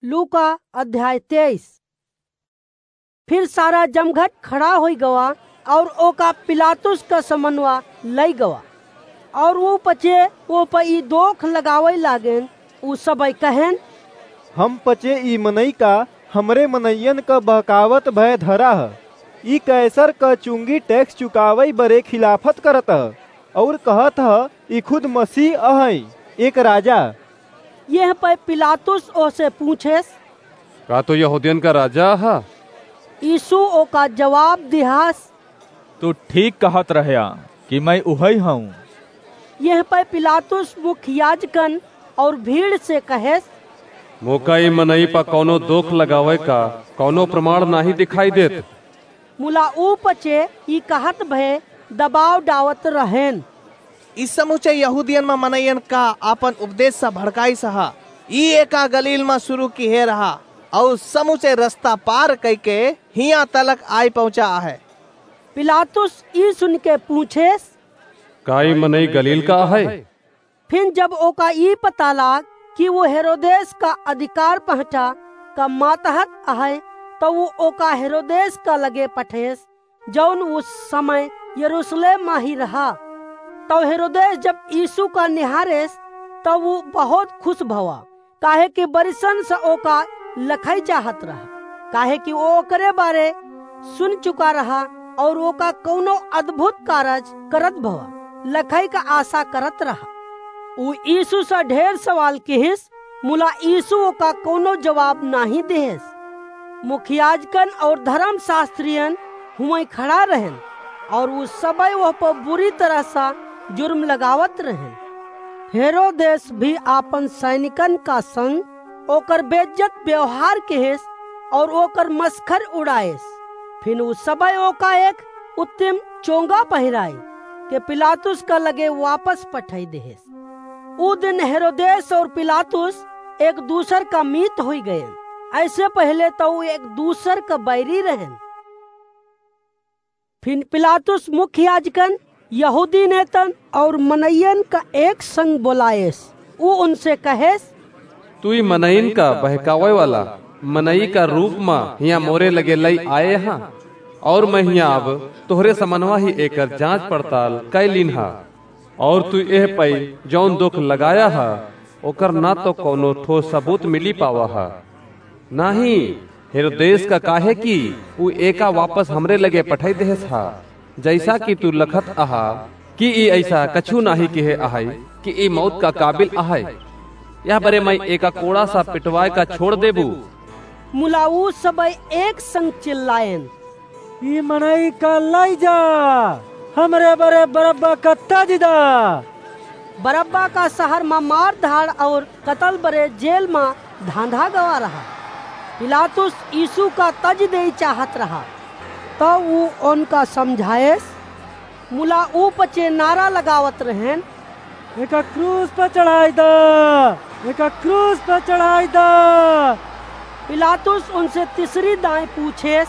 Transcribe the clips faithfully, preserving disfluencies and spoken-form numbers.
लूका अध्याय तेईस। फिर सारा जमघट खड़ा होई गवा और ओका पिलातुस का समनवा लई गवा। और ऊ पचे ओ प ई दोख लगावइ लागेन। ऊ सबइ कहेन, "हम पचे ई मनई का हमरे मनइयन क बहकावत भय धरा ह। ई कैसर क चुंगी टैक्स चुकावइ बरे खिलाफत करत ह, और कहत ह, ई खुद मसीह अहइ, एक राजा।" यह पइ पिलातुस ओसे पूछेस, "का तू यहूदियन का राजा ह?" यीशु ओका जवाब दिहास, "तू ठीक कहत रहया कि मैं उहइ हऊँ।" यह पइ पिलातुस मुख्य याजकन और भीड़ से कहेस, "मोका ई मनई प कौनो दोख लगावइ का कौनो प्रमाण नाहीं दिखाई देत।" मुला ऊ पचे ई कहत भय दबाव डावत रहेन, "ई समुचे यहूदियन म मनइयन का आपन उपदेश स भड़काइस ह। ई एका गलील म सुरु किहे रहा, अउर समुचे रस्ता पार कइके हियाँ तलक आइ पहुँचा अहइ।" पिलातुस ई सुनिके पूछेस, "का ई मनई गलील का अहइ?" फिन जब ओका ई पता लाग कि ऊ हेरोदेस का अधिकार पहटा का मातहत अहइ, तउ ऊ ओका हेरोदेस का लगे पठेस, जउन ऊ समय यरूसलेम म ही रहा। तउ हेरोदेस जब यीशु का निहारेस, तउ ऊ बहुत खुस भवा, काहे कि बरिसन स ओका लखइ चाहत रहा, काहे कि ऊ ओकरे बरे सुन चुका रहा, अउर ओका कउनो अद्भुत कारज करत भवा लखइ का आसा करत रहा। ऊ यीशु स ढेर सवाल किहिस, मुला यीशु ओका कउनो जवाब नाहीं दिहेस। मुखियाजकन अउर धरम सास्त्रियन हुवइँ खड़ा रहेन, अउर ऊ सबइ ओह प बुरी तरह स जुर्म लगावत रहेन। हेरोदेस भी आपन सैनिकन का संग ओकर बेइज्जत व्यवहार किहिस अउर ओकर मसखर उड़ाएस। फिन ऊ सबइ ओका एक उत्तम चोंगा पहिराइ के पिलातुस का लगे वापस पठइ दिहेस। ऊ दिन हेरोदेस अउर पिलातुस एक दूसर का मीत होइ गएन। अइसे पहिले तउ ऊ एक दूसर का बैरी रहेन। फिन पिलातुस मुख्य याजकन, यहूदी नेतन अउर मनइयन का एक संग बोलाएस। ऊ उनसे कहेस, "तू ई मनइन का बहकावइ वाला मनई का रूप म हियाँ मोरे लगे लइ आए ह, अउर मैं हियाँ अब तोहरे समनवा ही एकर जाँच पड़ताल कइ लीन ह। अउर तू एह पइ जउन दोख लगाया ह, ओकर न तउ कउनो ठोस सबूत मिली पावा ह, नाहीं हेरोदेस का, काहे कि ऊ एका वापस हमरे लगे पठइ देहेस ह। जइसा कि तू लखत अहा कि ई अइसा कछू नाहीं किहे अहइ कि ई मौत का काबिल अहइ। यह बरे मैं एका कोड़ा स पिटवाए का छोड़ देबू।" मुला ऊ सबइ एक संग चिल्लाएन, "ई मनई का लइ जा, हमरे बरे बरब्बा का तजि दा।" बरब्बा का सहर म मार धाड़ अउर कतल बरे जेल म धाँधा गवा रहा। पिलातुस यीशु का तजि देइ चाहत रहा, तउ ऊ ओनका समझाएस, मुला ऊ पचे नारा लगावत रहेन, "एका क्रूस प चढ़ाइ दा, एका क्रूस प चढ़ाइ दा।" पिलातुस उनसे तीसरी दाईं पूछेस,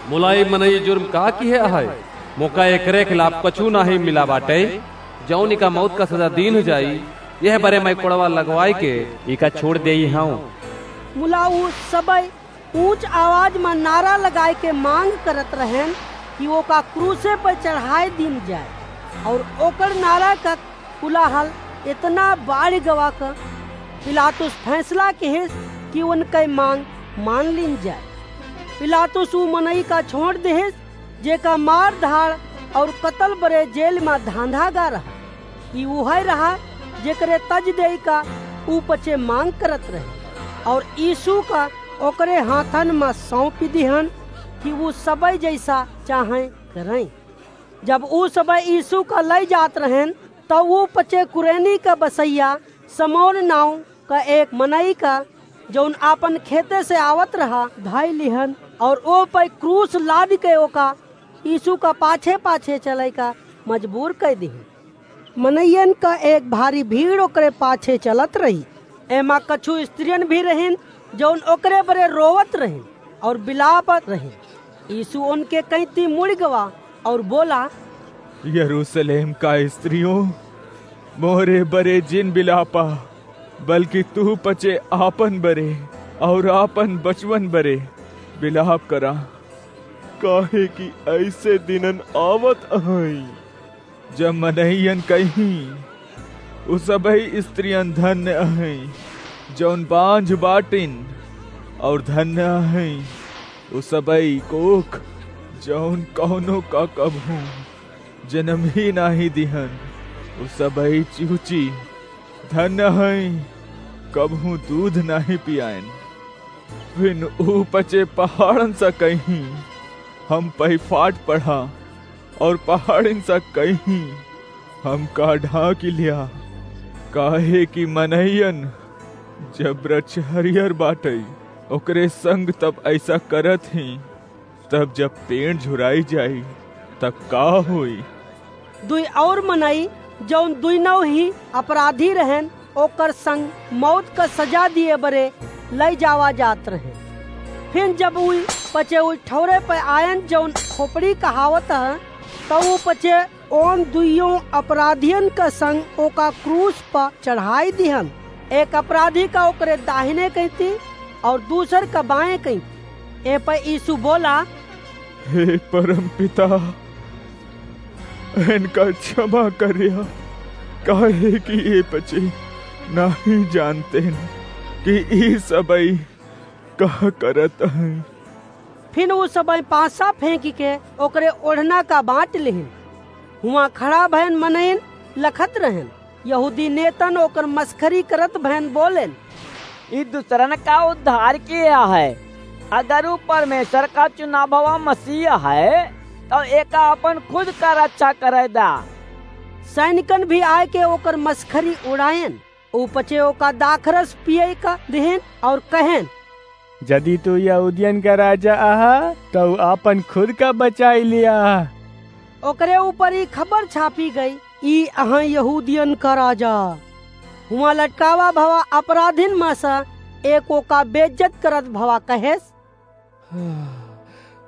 "मुला ई मनई जुर्म का किहे अहइ? मोका एकरे खिलाफ कछू नाहीं मिला बाटइ, जउन इका मौत का सजा दीन्ह जाई, यह बरे मैं कोड़वा लगवाइके इका छोड़ देइ हउँ।" मुला ऊ सबइ ऊँच आवाज म नारा लगाइके माँग करत रहेन कि ओका क्रूसे पर चढ़ाइ दीन जाए। अउर ओकर नारा का कुलाहल एतना बाढ़ि गवा क पिलातुस फैसला किहिस कि ओनकइ माँग मान लीन जाए। पिलातुस ऊ मनई का छोड़ दिहिस, जेका मार धाड़ अउर कतल बरे जेल म धाँधा गा रहा। ई उहइ रहा, जेकरे तजि देइ का ऊ पचे माँग करत रहे, अउर यीशु का ओकरे हाथन म सौंपि दिहन कि ऊ सबइ जइसा चाहें करइँ। जब ऊ सबइ यीशु का लइ जात रहेन, तउ ऊ पचे कुरेनी का बसइया समौन नाउँ का एक मनई का, जउन आपन खेते से आवत रहा, धइ लिहन अउर ओह पइ क्रूस लादिके ओका यीशु का पाछे-पाछे चलइ का मजबूर कइ दिहन। मनइयन का एक भारी भीड़ ओकरे पाछे चलत रही। एमा कछु स्त्रियन भी रहिन, जउन ओकरे बरे रोवत रहिन अउर बिलापत रहिन। यीशु ओनके कइँती मुड़ि गवा अउर बोला, यरूसलेम का स्त्रियों, मोरे बरे जिन बिलापा, बल्कि तू पचे आपन बरे, और आपन बचवन बरे बिलाप करा, काहे कि ऐसे दिनन आवत अहइँ, जब मनइयन कहिहीं, "उ सबही स्त्रियन धन्य अहइँ, जौन बाँझ बाटिन, और धन्य अहइँ उ सबही कोख, जौन कौनो का कबहूँ जनम ही नाहीं दिहन। उ सबही चूची धन्य अहइँ, कबहूँ दूध नाहीं पियाइन।" फिन उ पचे पहाड़न सा कहिहीं, "हम पइफाट पढ़ा," और पहाड़िन सा कहिहीं, "हमका ढाँकि लिया।" काहे कि मनइयन, जब वृक्ष हरियर बाटइ, ओकरे संग तब ऐसा करत हीं, तब जब पेड़ झुराई जाई, तब का होई? दुई और मनई, जौन दुइनौ ही अपराधी रहन, ओकर संग मौत का सजा दिए बरे लई जावा जात रहे। फिर जब उ पचे उ ठौरे पे आयन, जौन खोपड़ी कहावत ह, तब उ पचे ओन दुइयों अपराधियन का संग ओका क्रूस पर चढ़ाई दिहन, एक अपराधी का ओकरे दाहिने कइती और दूसर का बाएं कइती। ए पर यीशु बोला, "हे परम पिता, इनका क्षमा करिया, काहे कि ए पचे नाहीं जानतेन कि ई सबई का करत हैं।" फिर उ सबई पासा फेंकि के ओकरे ओढ़ना का बाँट लिहिन। हुआँ खड़ा भयन मनइन लखत रहन। यहूदी नेतन ओकर मस्खरी करत भयन बोलेन, "ई दूसरन का उद्धार किया है। अगर उ परमेश्वर का चुना भवा मसीह है, तो एका अपन खुद का रक्षा करे दा।" सैनिकन भी आए के ओकर मस्खरी उड़ायन। उ पचे ओका दाखरस पिए का दिहिन और कहेन, "यदि तू यहूदियन का राजा अहा, तो आपन खुद का बचाई लिया।" ओकरे ऊपर ई खबर छापी गई, "ई अहइँ यहूदियन का राजा।" हुआँ लटकावा भवा अपराधिन मा सा एक ओका बेइज्जत करत भवा कहेस,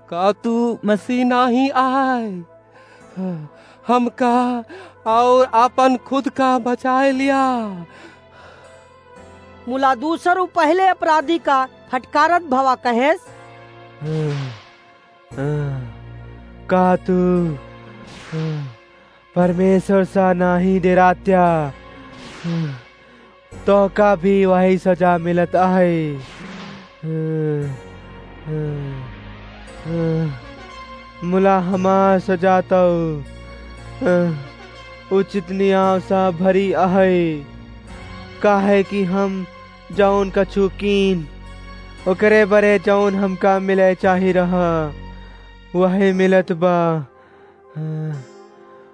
"का तू मसीह नाहीं आय? हमका और आपन खुद का बचाए लिया।" मुला दूसर उ पहले अपराधी का फटकारत भवा कहेस, "का तू परमेश्वर सा नाहीं डेरात्या? तोहका भी वही सजा मिलत आहे। मुला हमार सजा तौ उचित नियाव सा भरी आहे, काहे कि हम जौन कछु कीन, ओकरे बरे जौन हमका मिले चाही रहा, वही मिलत बा।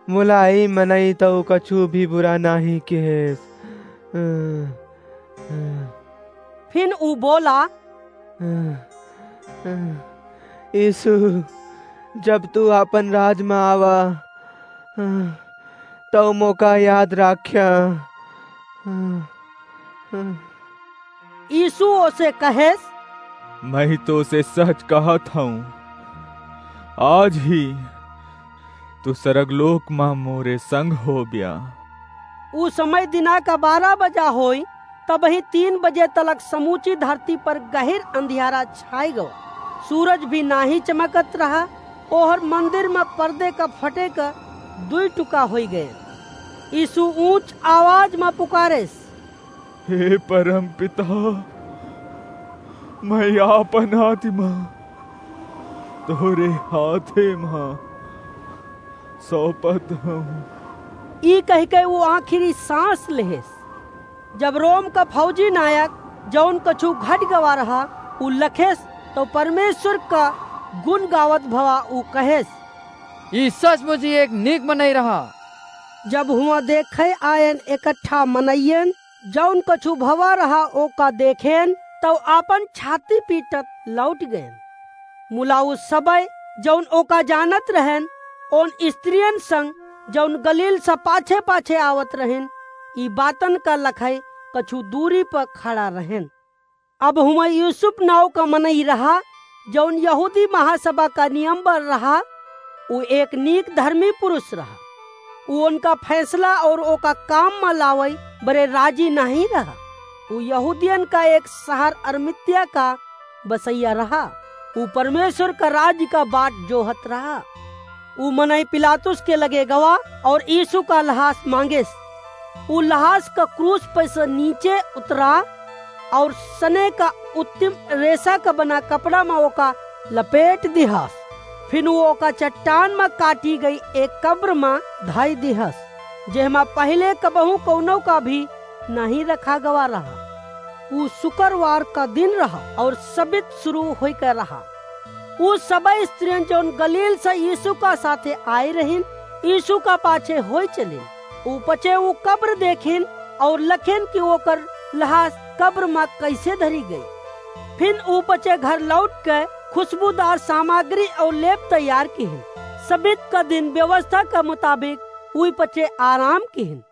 मुला ई मनई तौ कछु भी बुरा नाहीं किहेस।" फिन उ बोला, "यीशु, जब तू आपन राज मा आवा, तौ मोका याद राख्या।" यीशु ओसे कहेस, "मैं तोसे सच कहत हूँ, आज ही तू सरगलोक मा मोरे संग होब्या।" उ समय दिना का बारह बजा होई, तबही तीन बजे तलक समूची धरती पर गहिर अंधियारा छाई गवा। सूरज भी नाहीं चमकत रहा, ओहर मंदिर मा पर्दे का फटे का दुई टुका होई गए। यीशु ऊंच आवाज मा पुकारेस, "हे परम पिता, मैं आपन आत्मा तोरे हाथे मा सौंपत हूँ।" ई कहिके उ आखिरी सांस लेहेस। जब रोम का फौजी नायक, जौन कछु घट गवा रहा, उ लखेस, तो परमेश्वर का गुण गावत भवा उ कहेस, "ई सचमुच ही एक नीक मनई रहा।" जब हुआं देखे आयन इकट्ठा मनइयन, जौन कछु भवा रहा, ओका देखेन, तौ आपन छाती पीटत लौट गएन। मुला उ सबय, जौन ओका जानत रहेन, ओन स्त्रियन संग, जौन गलील से पाछे-पाछे आवत रहेन, ई बातन का लखई कछु दूरी पर खड़ा रहेन। अब हुआं यूसुफ नाव का मनई रहा, जौन यहूदी महासभा का नियमबर रहा। उ एक नीक धर्मी पुरुष रहा। उ उनका फैसला और ओका काम मा लावई बरे राजी नाहीं रहा। उ यहूदियन का एक सहर अरमितिया का बसइया रहा। उ परमेश्वर का राज्य का बाट जोहत रहा। उ मनई पिलातुस के लगे गवा और यीशु का लहास मांगेस। उ लहास का क्रूस पे से नीचे उतरा और सने का उत्तम रेशा का बना कपड़ा मा ओका लपेट दिहस। फिन उ ओका चट्टान मा काटी गई एक कब्र मा धई दिहस, जेहमा पहिले कबहू कउनो का भी नहीं रखा गवा रहा। उ शुक्रवार का दिन रहा और सबित शुरू होई के रहा। उ सब स्त्रियन जौन गलील से यीशु का साथे आए रहिन, यीशु का पाछे होई चलिन। उ पचे उ कब्र देखिन और लखिन कि ओकर लहास कब्र मा कैसे धरी गई। फिन उ पचे घर लौट के खुशबूदार सामग्री और लेप तैयार किहिन। सबित का दिन व्यवस्था का मुताबिक उ पचे आराम किहिन।